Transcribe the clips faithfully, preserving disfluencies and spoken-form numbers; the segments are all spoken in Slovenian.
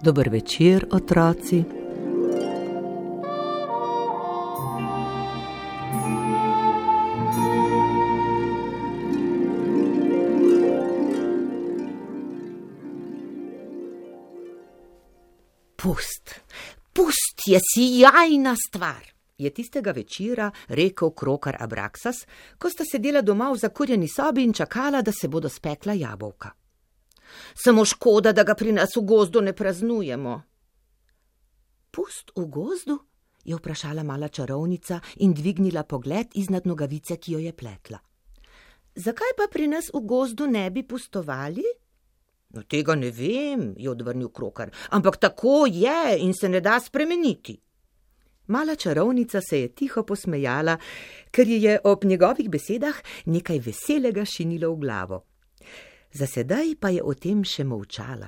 Dober večer, otroci. Pust, pust je sijajna stvar, je tistega večera rekel krokar Abraksas, ko sta sedela doma v zakurjeni sobi in čakala, da se bodo spekla jabolka. Samo škoda, da ga pri nas v gozdu ne praznujemo. Pust v gozdu? Je vprašala mala čarovnica in dvignila pogled iznad nogavice, ki jo je pletla. Zakaj pa pri nas v gozdu ne bi pustovali? No, tega ne vem, je odvrnil krokar, ampak tako je in se ne da spremeniti. Mala čarovnica se je tiho posmejala, ker ji je ob njegovih besedah nekaj veselega šinilo v glavo. Za sedaj pa je o tem še molčala.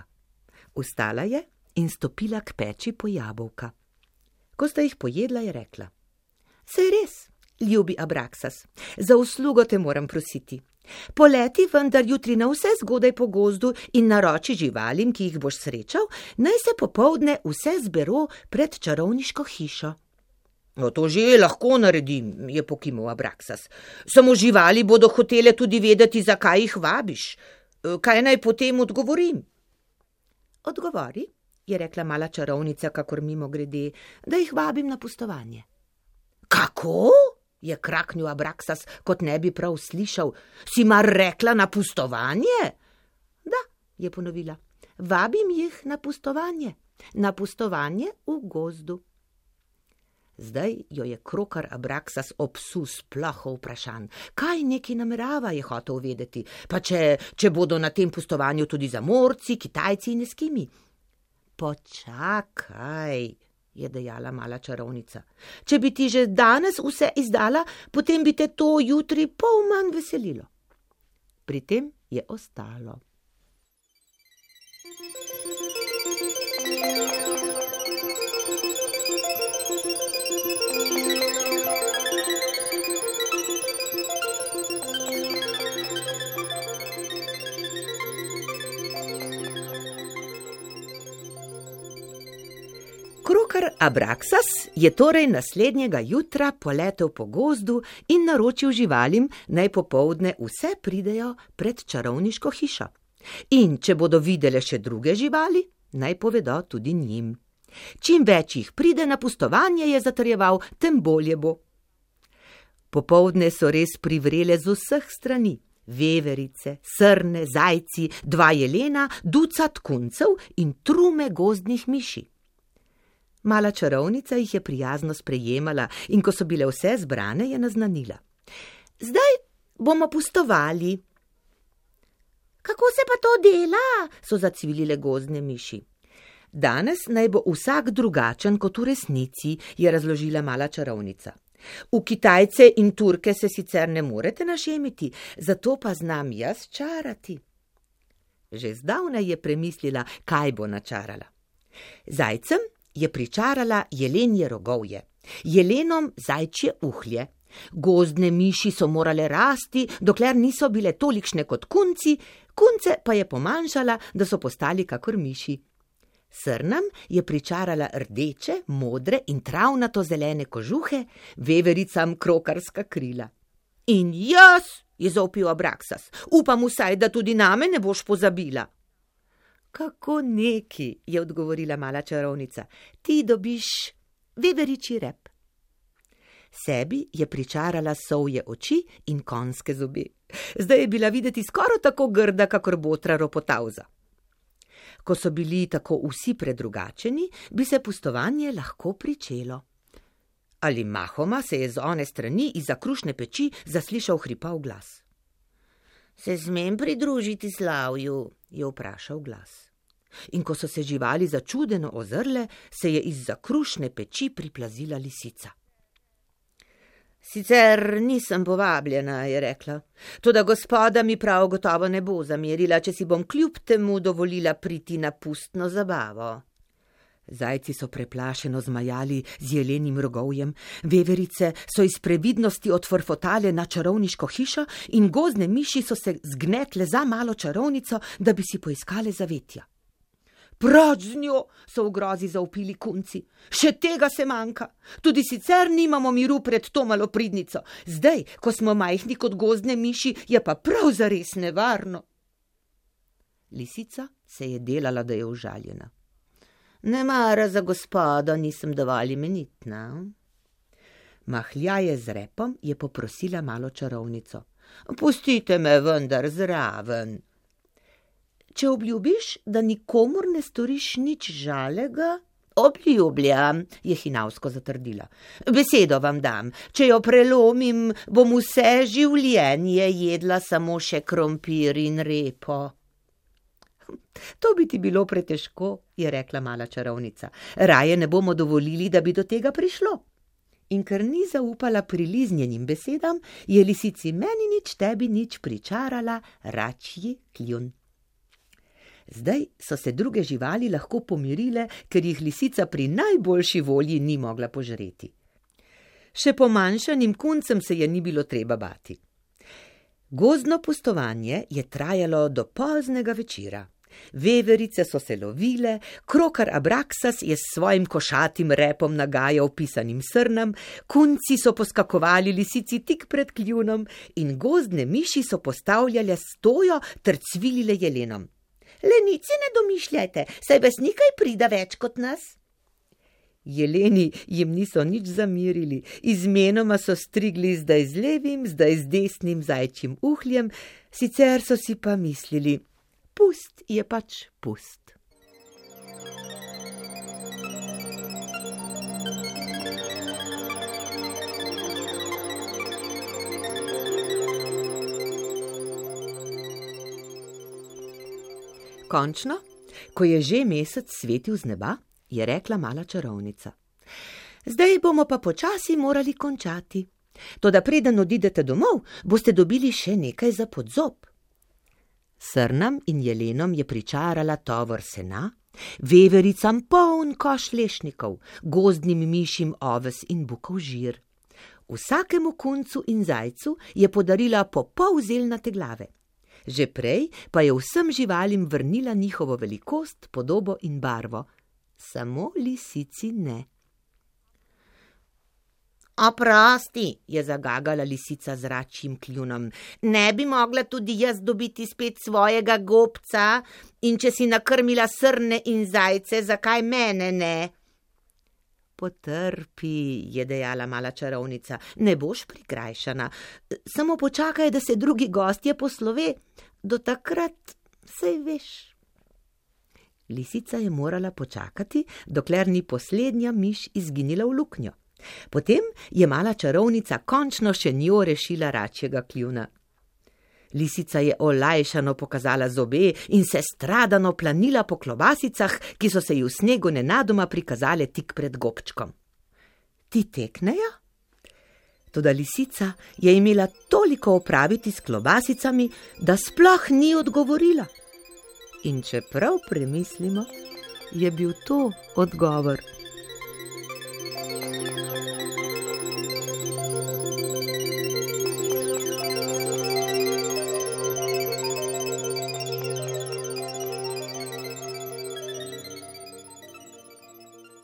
Vstala je in stopila k peči po jabolka. Ko sta jih pojedla, je rekla: Saj res, ljubi Abraksas, za uslugo te moram prositi. Poleti vendar jutri na vse zgodaj po gozdu in naroči živalim, ki jih boš srečal, naj se popoldne vse zbero pred čarovniško hišo. No, to že lahko naredim, je pokimal Abraksas. Samo živali bodo hotele tudi vedeti, zakaj jih vabiš. Kaj naj potem odgovorim? Odgovori, je rekla mala čarovnica, kakor mimo grede, da jih vabim na pustovanje. Kako? Je kraknil Abraksas, kot ne bi prav slišal. Si mar rekla na pustovanje? Da, je ponovila, vabim jih na pustovanje, na pustovanje v gozdu. Zdaj jo je krokar Abraksas obsul sploh vprašanj. Kaj neki namerava, je hotel vedeti, pa če, če bodo na tem pustovanju tudi zamorci, Kitajci in Eskimi. Počakaj, je dejala mala čarovnica. Če bi ti že danes vse izdala, potem bi te to jutri pol manj veselilo. Pri tem je ostalo. Krokar Abraksas je torej naslednjega jutra poletel po gozdu in naročil živalim, naj popoldne vse pridejo pred čarovniško hišo. In če bodo videle še druge živali, naj povedo tudi njim. Čim več jih pride na pustovanje, je zatrjeval, tem bolje bo. Popoldne so res privrele z vseh strani. Veverice, srne, zajci, dva jelena, ducat kuncev in trume gozdnih miši. Mala čarovnica jih je prijazno sprejemala in ko so bile vse zbrane, je naznanila. Zdaj bomo pustovali. Kako se pa to dela? So zacvilile gozdne miši. Danes naj bo vsak drugačen kot v resnici, je razložila mala čarovnica. V Kitajce in Turke se sicer ne morete našemiti, zato pa znam jaz čarati. Že zdavnaj je premislila, kaj bo načarala. Zajcem je pričarala jelenje rogovje, jelenom zajčje uhlje. Gozdne miši so morale rasti, dokler niso bile tolikšne kot kunci, kunce pa je pomanjšala, da so postali kakor miši. Srnam je pričarala rdeče, modre in travnato zelene kožuhe, vevericam krokarska krila. In jaz, je zavpil Abraksas, upam vsaj, da tudi name ne boš pozabila. Kako neki, je odgovorila mala čarovnica, ti dobiš veveričji rep. Sebi je pričarala sovje oči in konjske zobe. Zdaj je bila videti skoraj tako grda, kakor botra ropotavza. Ko so bili tako vsi predrugačeni, bi se pustovanje lahko pričelo. Ali mahoma se je z one strani izza krušne peči zaslišal hripav glas. Se smem pridružiti slavju, je vprašal glas. In ko so se živali začudeno ozrle, se je izza krušne peči priplazila lisica. Sicer nisem povabljena, je rekla, toda gospoda mi prav gotovo ne bo zamerila, če si bom kljub temu dovolila priti na pustno zabavo. Zajci so preplašeno zmajali z jelenim rogovjem, veverice so iz previdnosti odfrfotale na čarovniško hišo in gozdne miši so se zgnetle za malo čarovnico, da bi si poiskale zavetja. Proč z njo, so v grozi zavpili kunci. Še tega se manjka. Tudi sicer nimamo miru pred to malopridnico. Zdaj, ko smo majhni kot gozdne miši, je pa prav zares nevarno. Lisica se je delala, da je užaljena. Ne mara za gospodo, nisem dovolj imenitna. Mahljaje z repom je poprosila malo čarovnico. Pustite me vendar zraven. Če obljubiš, da nikomur ne storiš nič žalega, obljubljam, je hinavsko zatrdila. Besedo vam dam, če jo prelomim, bom vse življenje jedla samo še krompir in repo. To bi ti bilo pretežko, je rekla mala čarovnica. Raje ne bomo dovolili, da bi do tega prišlo. In ker ni zaupala priliznjenim besedam, je lisici meni nič, tebi nič pričarala račji kljun. Zdaj so se druge živali lahko pomirile, ker jih lisica pri najboljši volji ni mogla požreti. Še pomanjšanim kuncem se je ni bilo treba bati. Gozdno pustovanje je trajalo do poznega večera. Veverice so se lovile, krokar Abraksas je s svojim košatim repom nagajal pisanim srnam, kunci so poskakovali lisici tik pred kljunom in gozdne miši so postavljale stojo ter cvilile jelenom. Lenici ne domišljajte, saj vas nikaj prida več kot nas. Jeleni jim niso nič zamirili, izmenoma so strigli zdaj z levim, zdaj z desnim zajčjim uhljem, sicer so si pa mislili, pust je pač pust. Končno, ko je že mesec svetil z neba, je rekla mala čarovnica. Zdaj bomo pa počasi morali končati. Toda preden odidete domov, boste dobili še nekaj za podzob. Srnam in jelenom je pričarala tovor sena, vevericam poln koš lešnikov, gozdnim mišim oves in bukov žir. Vsakemu kuncu in zajcu je podarila po pol zelnate glave. Že prej pa je vsem živalim vrnila njihovo velikost, podobo in barvo. Samo lisici ne. Oprosti, je zagagala lisica z račjim kljunom. Ne bi mogla tudi jaz dobiti spet svojega gobca in če si nakrmila srne in zajce, zakaj mene ne? Potrpi, je dejala mala čarovnica, ne boš prikrajšana. Samo počakaj, da se drugi gostje poslove, do takrat saj veš. Lisica je morala počakati, dokler ni poslednja miš izginila v luknjo. Potem je mala čarovnica končno še njo rešila račjega kljuna. Lisica je olajšano pokazala zobe in se stradano planila po klobasicah, ki so se ji v snegu nenadoma prikazale tik pred gobčkom. Ti teknejo? Toda lisica je imela toliko opraviti s klobasicami, da sploh ni odgovorila. In če prav premislimo, je bil to odgovor.